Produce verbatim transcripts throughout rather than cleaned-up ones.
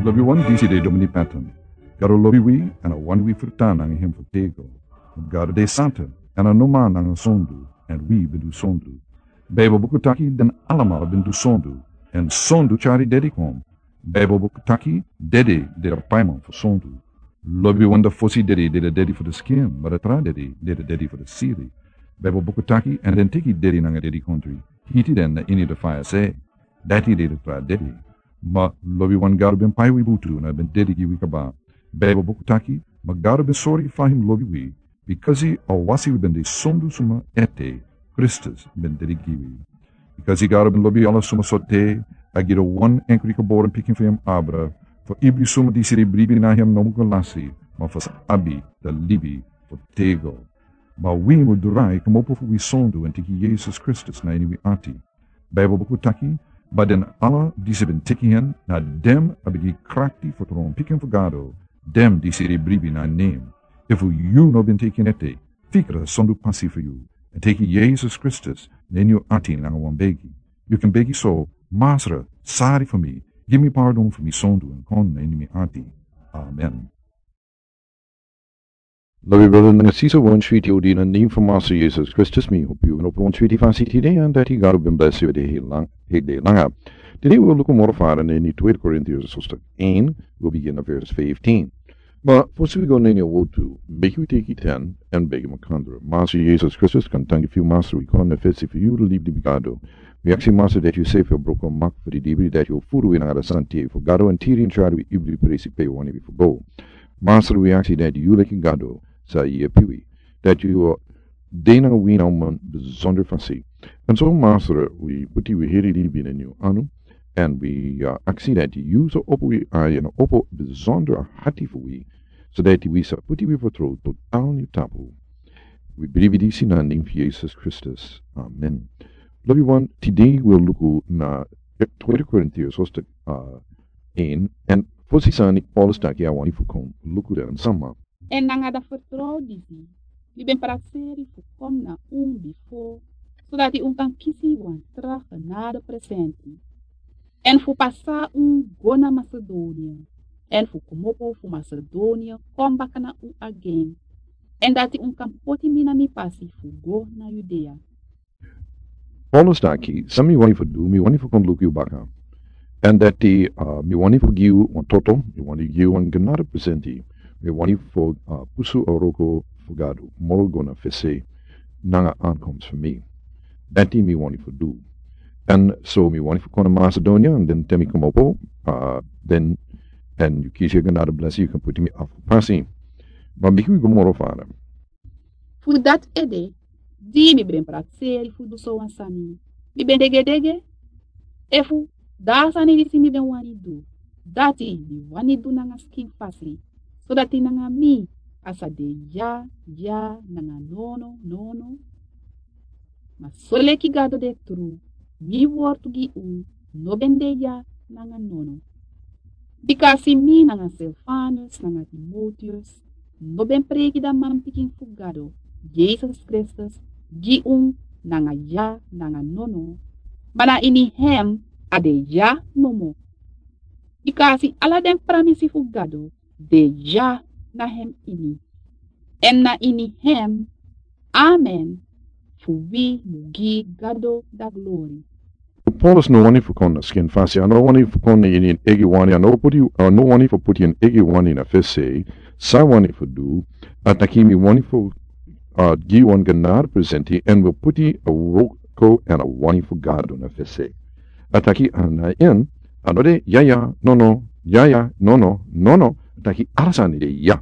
Lobi wan, disi de Domini Patton. Gado lobi wi, èn a wani wi fertan nanga hem fu tego. Gado de santa, èn a no man nanga sondu, èn wi ben du sondu. Baibel buku taki den alamala ben du sondu, èn sondu tyari dedi kon. Baibel buku taki dedi de a paiman fu sondu. Lobi wan, da fosi dedi de a dedi fu a skin, ma a tra dedi de a dedi fu a siri. Baibel buku taki, èn den teki dedi nanga dedikontri, hiti den na ini a faya sei. Dati de a tra dedi. Ma lobi wan, Gado ben pai wi butu, na ben dedi gi wi kaba. Baibel buku taki, ma Gado ben sori fa hem lobi wi, bikasi a wasi wi ben de sondu suma ete, Kristus ben dedi gi wi. Bikasi Gado ben lobi ala suma sortu, a gi a wan enkri geboren pikin fu hem abra, fu ibri suma disi e bribi na hem no mus go lasi, ma fu sa abi a libi fu tego. Ma wi mus drai komopo fu wi sondu èn teki Yesus Kristus na ini wi ati. Baibel buku taki, ma den ala disi ben teki hen, na den a ben gi krakti fu tron pikin fu Gado, den disi e bribi na nen. Efu yu no ben teki en ete, fikra sondu pasi fu yu, èn teki Yesus Kristus na ini yu ati nanga wan begi. Yu kan begi so: Masra, sori fu mi, gi mi pardon fu mi sondu èn kon na ini mi ati. Amen. Lobi brada nanga sisa, wan switi odi na nen fu Masra Yesus Kristus, mi hopi yu ben opo wan switi fasi tide, èn dati Gado ben blesi yu de heri langa. Tide wi o luku moro fara na ini Tweede Korintiërs hoofdstuk één, wi o bigin na vers vijftien. Ma fosi wi go na ini a wortu, meki wi teki ten èn begi makandra. Masra Yesus Kristus, kon tangi fu yu, Masra, wi kon na fesi fu yu, libri di Gado. Wi aksi, Masra, dati yu sefi o broko mak fu di libri, dati yu o furu wi nanga a santi fu Gado èn tiri ini tyari wi ibri presi pe yu wani wi fu go. Masra, wi aksi dati yu leki Gado sa yepi wi, dati yu o de nanga wi na wan bizonder fasi. Èn so, Masra, wi puti wi heri libi na ini yu anu, èn wi, ah, aksi dati yu sa opo wi ai èn opo bizonder ati fu wi, so dati wi sa puti wi fertrow total na yu tapu. Wi bribi disi na nen fu Yesus Kristus. Amen. Lobi wan, tide wi o luku na Tweede Korintiërs hoofdstuk, ah, één, èn fosi sani Paulus taki a wani fu kon luku den sama. Èn nanga a fertrow disi, mi ben prakseri fu kon na un bifo, sodati un kan kisi wan tra genade presenti, èn fu pasa un go na Masedonia, èn fu komopo fu Masedonia kon baka na un agen, èn dati un kan poti mi na mi pasi fu go na Judea. Paulus taki, san mi wani fu du, mi wani fu kon luku yu baka. Èn dati, ah, mi wani fu gi yu wan toto, mi wani gi yu wan genade presenti, mi wani fu, ah, pusu a wroko fu Gado moro go na fesi nanga ankomst fu mi. Dati mi wani fu du. Èn so mi wani fu kon na Masedonia, èn den te mi komopo, ah, den, èn yu kisi a genade blesi, yu kan puti mi afu pasi. Ma meki wi go moro fara. Fu dati ede, di mi ben prakseri fu du so wan sani, mi ben degedege. Efu dan a sani disi mi ben wani du, dati mi wani du nanga skin fasi, sodati nanga mi a sa de ya, ya nanga nono, nono. Ma soleki Gado de tru, mi wortu gi un no ben de ya nanga nono. Bikasi mi nanga Silvanus nanga Timoteus no ben preki a manpikin fu Gado, Yesus Kristus, gi un nanga ya nanga nono, ma na ini hem a de ya nomo. Bikasi ala den pramisi fu Gado de ya na hem ini, èn na ini hem, amen, fu wi mu gi Gado a glori. Paulus no wani fu kon na skin fasi, a no wani fu kon na ini en eigi wani, a no puti, a no wani fu puti en eigi wani na fesi. San a wani fu du, a taki mi wani fu, ah, gi wan genade presenti, èn wi puti a wroko èn a wani fu Gado na fesi. A taki a na en, a no de ya ya, nono, ya ya, nono, nono. A taki ala sani de ya.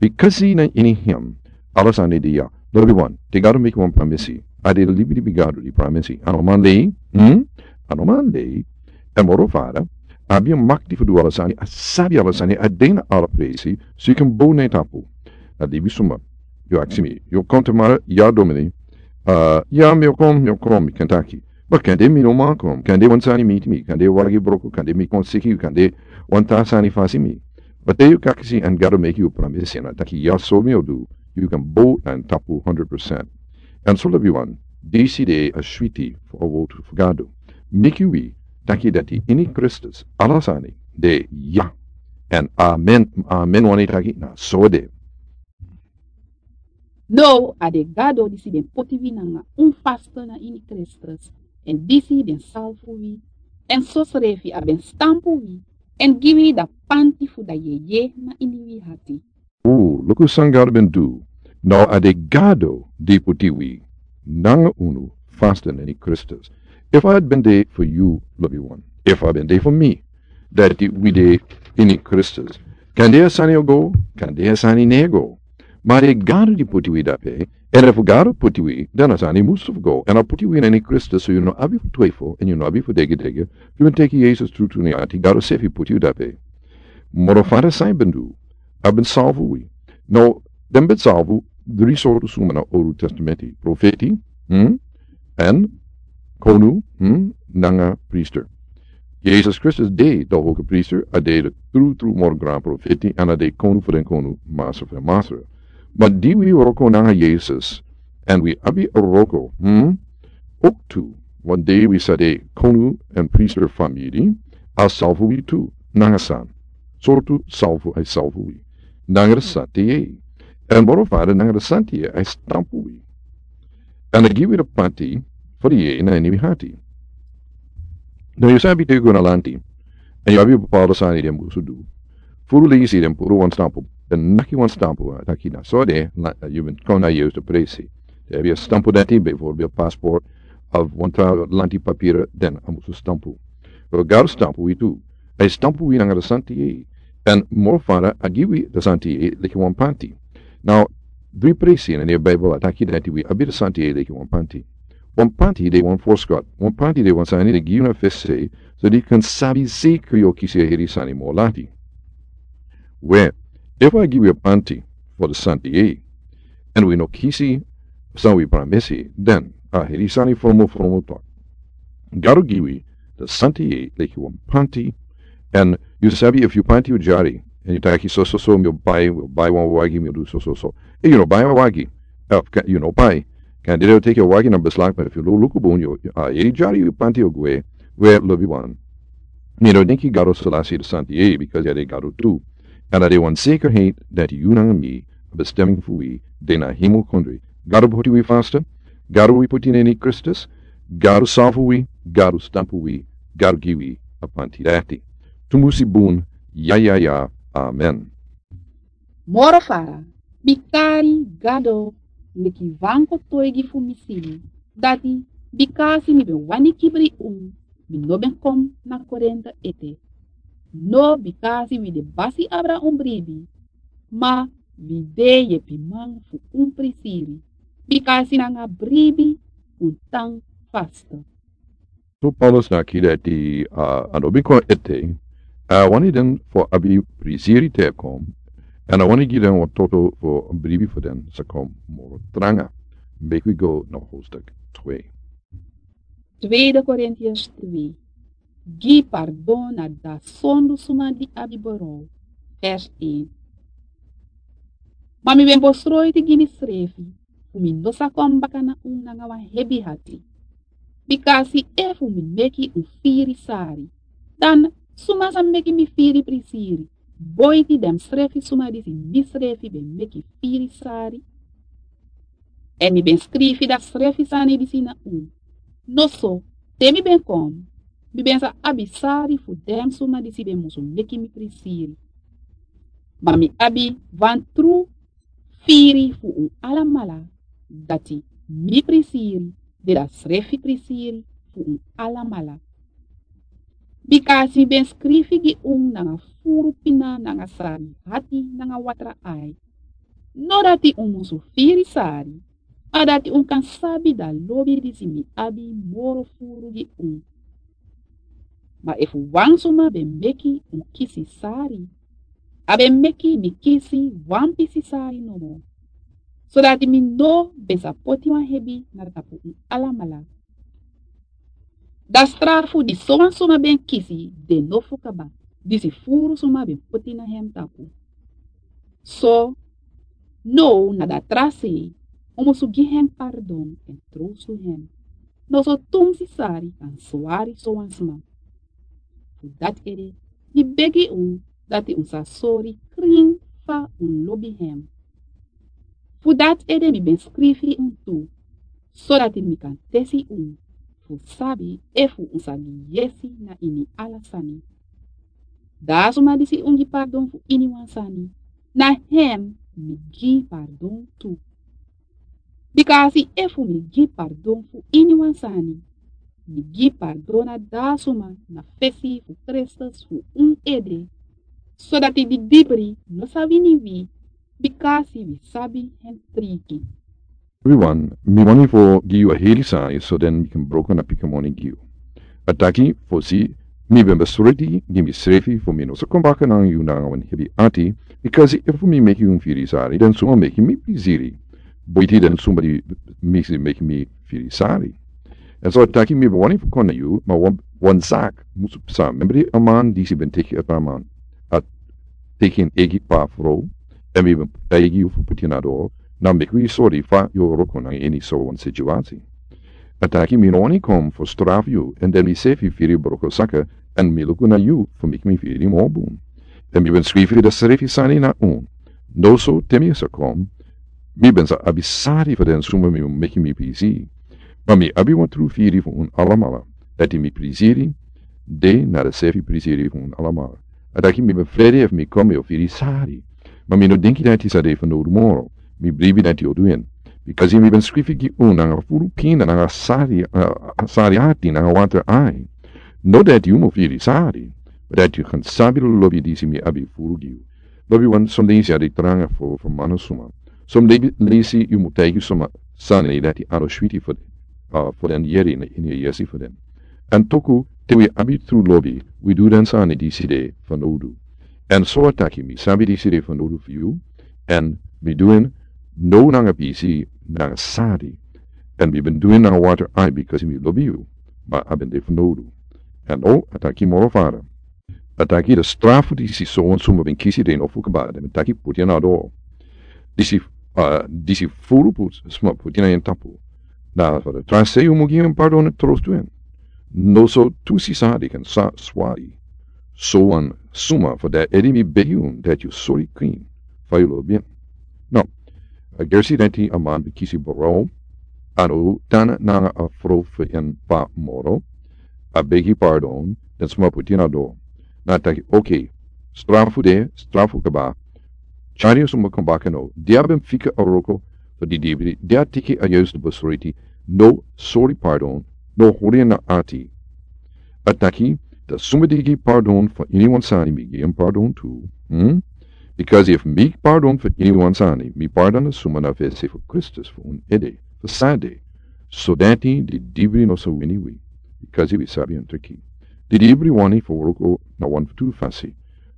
Bikasi na ini hem ala sani de ya. Lobi wan, te Gado meki wan pramisi, a de libri di Gado di pramisi. A no man lei, hmm? A no man lei. Èn moro fara, a abi a makti fu du ala sani, a sabi ala sani, a de na ala presi, so yu kan bow na en tapu. A libisma, yu aksi mi, yu o kon tamara, ya Domini, ah, ya mi o kon, mi o kon, mi kan taki. Ma kande mi no man kon, kande wan sani miti mi, kande wagi broko, kande mi kon siki, kande wan tra sani fasi mi. Ma te yu aksi èn Gado meki yu pramisi èn a taki ya so mi o du, yu kan bow na en tapu hondro prosent. Èn so lobi wan, disi de a switi fu a wortu fu Gado. Meki wi taki dati ini Kristus ala sani de ya. Èn amen, amen wani taki na so de. Now a de Gado disi ben poti wi nanga un faste na ini Kristus, èn disi ben salfu wi, èn sosrefi a ben stampu wi, èn gi wi da panti fu da yeye na ini wi hati. O, luku san Gado ben du. Now a de Gado di poti wi nanga unu faste na ini Kristus. Efu a ben de fu yu, lobi wan, efu a ben de fu mi, dati wi de ini Kristus, kande a sani o go, kande a sani no e go. Ma a de Gado di poti wi dape. Èn efu Gado poti wi, dan a sani musu fu go. Èn a poti wi na ini Kristus, so yu no abi fu twefel èn yu no abi fu degedege. Fu yu teki Yesus trutru na yu ati, Gado sefi poti yu dape. Moro fara san a ben du, a ben salfu wi. Now den ben salfu dri sortu suma na Owru Testamenti: profeti, hmm, èn konu, hmm, nanga priester. Yesus Kristus de da hoge priester, a de da trutru moro gran profeti, èn a de konu fu den konu, masra fu den masra. Ma di wi wroko nanga Yesus èn wi abi a wroko, hmm, oktu, wan dei wi sa de konu èn priester famiri, a salfu wi tu. Nanga san sortu salfu a e salfu wi? Nanga da santi yei. Èn moro fara, nanga da santi yei a e stampu wi. Èn a gi wi da panti fu da yei na ini wi hati. Now yu sabi te yu go na lanti èn yu abi bepaalde sani den musu du. Furu leisi den puru wan stampu, den naki wan stampu, a taki na so de, yu ben kon na yu presi. Den abi a stampu dati, bijvoorbeeld paspoort of wan tra lanti papira, den a musu stampu. Wel, Gado stampu wi tu. A e stampu wi nanga da santi yei. Èn moro fara, a gi wi da santi yei leki wan panti. Now dri presi na ini a Bijbel a taki dati wi abi da santi yei leki wan panti. Wan panti de wan voorschot. Wan panti de wan sani den gi yu na fesi, so di kan sabi zeker yu o kisi a heri sani moro lati. We, efu a gi wi a panti fu da santi yei èn wi no kisi san wi pramisi, dan a heri sani fromo fromo tok. Gado gi wi da santi yei leki wan panti. Èn yu sabi, efu yu panti o dyari èn yu taki so so so, mi o bai, mi o bai wan wagi, mi o du so so so, èn yu no bai a wagi, efu yu no bai, kande den o teki a wagi na beslag. Ma efu yu luku bun, a yei dyari, yu panti o gwe. We, lobi wan, mi no denki Gado o lasi da santi yei, because a de Gado tu. Èn a de wan zekerheid dati yu nanga mi, a bestemming fu wi de na hemel kondre. Gado poti wi faste, Gado wi poti na ini Kristus, Gado salfu wi, Gado stampu wi, Gado gi wi a panti dati. Tumusi bun. Ya ya ya. Amen. Moro fara, mi kari Gado leki wan kotoigi fu mi sili. Dati bikasi mi ben wani kibri un, mi no ben kon na Korinte ete. No bikasi wi de basi abra un bribi, ma wi de yepiman fu un prisiri, bikasi nanga bribi un tan faste. So Paulus na kida eti, a no bin kon ete. A wani den fu abi prisiri te kon, èn a wani gi den wan toto fu bribi fu den sa kon moro tranga. Meki wi go na hoofdstuk twee. Tweede Korintiërs twee. Gi pardon na da sondu suma di abi boro. Vers één. Ma mi ben bosroiti gi mi srefi fu mi no sa kon baka na un nanga wan hebi hati. Bikasi efu mi meki un firi sari, dan suma sa meki mi firi prisiri? Boiti den srefi suma disi mi srefi ben meki firi sari. Èn mi ben skrifi da srefi sani disi na un. Noso, te mi ben kon, mi ben sa abi sari fu den suma disi ben musu meki mi prisiri. Ma mi abi wan tru firi fu un alamala, dati mi prisiri de da srefi prisiri fu un alamala. Bikasi mi ben skrifi gi un nanga furu pina nanga sari hati nanga watra ai. No dati un musu firi sari, ma dati un kan sabi da lobi disi mi abi moro furu gi un. Ma efu wan suma ben meki un kisi sari, a ben meki mi kisi wan pisi sari nomo, sodati mi no ben sa poti wan hebi na tapu un alamala. Da strafu di sowan suma ben kisi de nofu kaba, disi furu suma ben poti na hem tapu. So, now na da tra sei, un musu gi hem pardon èn trowsu hem. Noso tumsi sari kan swari sowan suma. Fu dati ede mi begi un dati un sa sori krin fa un lobi hem. Fu dati ede mi ben skrifi un tu, sodati mi kan tesi un fu sabi efu un sa gi yesi na ini ala sani. Da a suma disi un gi pardon fu iniwan sani, na hem mi gi pardon tu. Bikasi efu mi gi pardon fu iniwan sani, mi gi pardon na da a suma na fesi fu Kristus fu un ede, sodati di dibri no sa wini wi, bikasi wi sabi hen triki. Everyone, mi wani fu gi yu a heri sani, so den mi kan broko na piki moni gi yu. A taki, fosi, mi ben besreti gi mi srefi fu mi no sa kon baka nanga yu nanga wan hebi ati, bikasi efu mi meki un firi sari, den suma meki mi priziri. Boiti den suma di misi meki mi firi sari. Èn so a taki mi ben wani fu kon na yu, ma wan, wan zak musu psa. Membri a man disi ben teki a tra man. A teki en egi pa frow, èn mi ben taigi yu fu puti na doro, na meki wi sori fa yu o wroko nanga ini so wan situasi. A taki mi no wani kon fu strafu yu, èn den mi sefi firi broko saka, èn mi luku na yu fu meki mi firi moro bun. Èn mi ben skrifi den srefi sani na un. Noso te mi sa kon, mi ben sa abi sari fu den suma mi meki mi priziri. Ma mi abi wan tru firi fu un alamala, dati mi priziri de na den sefi priziri fu un alamala. A taki mi ben frede efu mi kon mi o firi sari. Ma mi no denki dati sa de fanowdu moro. Mi bribi dati o du en. Bikasi mi ben skrifi gi un nanga furu pina nanga sari, eh, sari ati nanga water ai. No dati yu mu firi sari, ma dati yu kan sabi lobi disi mi abi furu gi yu. Lobiwan, son leisi a de tranga fu, fu man na suma. Son leisi yu mu taigi suma sani dati a no switi fu den, ah, fu den yere na ini a yesi fu den. Èn toku, te wi abi tru lobi, wi du den sani disi de fanowdu. Èn so a taki mi sabi disi de fanowdu fu yu, èn mi du en no nanga pisi nanga sari. Èn mi ben du en nanga water ai bikasi mi lobi yu, ma a ben de fanowdu. Èn o, a taki moro fara. A taki den strafu disi sowan suma ben kisi den no fu kaba, den ben taki puti en na doro. Disi, ah, disi furu pu-, suma puti en na en tapu. Na fa den tra sei yu mu gi en pardon èn trostu en. Noso tu sisa di kan sa swari. Sowan suma fu dati ede mi begi un dati yu sori krin fa yu lobi en. No. A gersi dati a man ben kisi bro, a no tan nanga a frow fu en pa moro, a begi pardon, den suma puti en na doro. Na taki, oké, strafu de, strafu kaba. Tyari a suma kon baka now. Di a ben fika a wroko fu di dibri, di a teki a yustu besreti, no sori pardon, no hori en na ati. A taki, den suma di gi pardon fu iniwan sani mi gi en pardon tu. Hmm? Bikasi efu mi pardon fu iniwan sani, mi pardon den suma na fesi fu Kristus fu un ede, fu san de. Sodati di dibri no sa wini wi, bikasi wi sabi en triki. Di dibri wani fu wroko na wan fu tu fasi.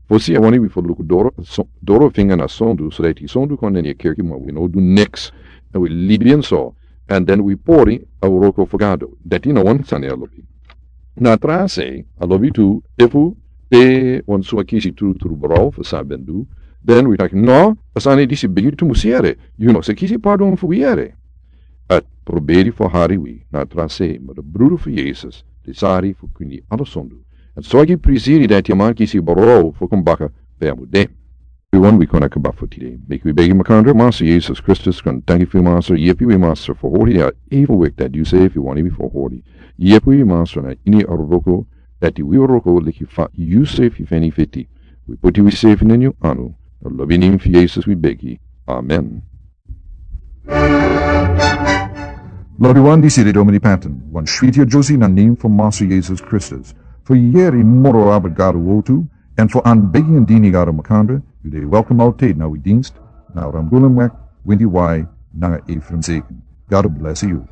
Fosi a wani wi fu luku doro, so-, doro finga na sondu, sodati sondu kon na ini a kerki ma wi no du niks. Èn wi libi en so, èn den wi pori a wroko fu Gado. Dati na wan sani a lobi. Na tra sei, a lobi tu, efu te wan suma kisi tru tru bro fu san a ben du, den wi taki no, a sani disi bigi tu musu yere, yu no sa kisi pardon fu wi yere. A proberi fu hari wi na tra sei, ma den brudu fu Yesus, di sari fu kwini ala sondu. Èn so a gi priziri dati a man kisi bro fu kon baka pe a mu de. Everyone, wi kon na kaba fu tide. Meki wi begi makandra, Masra Yesus Kristus, kon tanki fu yu Masra, yepi wi Masra fu hori a evil wik dati yu sei fu wani wi fu hori. Yepi wi Masra na ini a wroko dati wi o wroko leki fa yu sei fu feni feti. Wi poti wi sei fu na ini yu anu. Na lobi nen fu Yesus wi begi. Amen. Lobiwan, disi de Domini Patton, wan switi a Josie na nen fu Masra Yesus Kristus. Fu yere moro abra Gado wortu, èn fu anbegi en dini Gado makandra, yu de welkom altijd na wi dienst, na Rambulan Wek, Windy Y, nanga Ephraim Zeken. God bless you.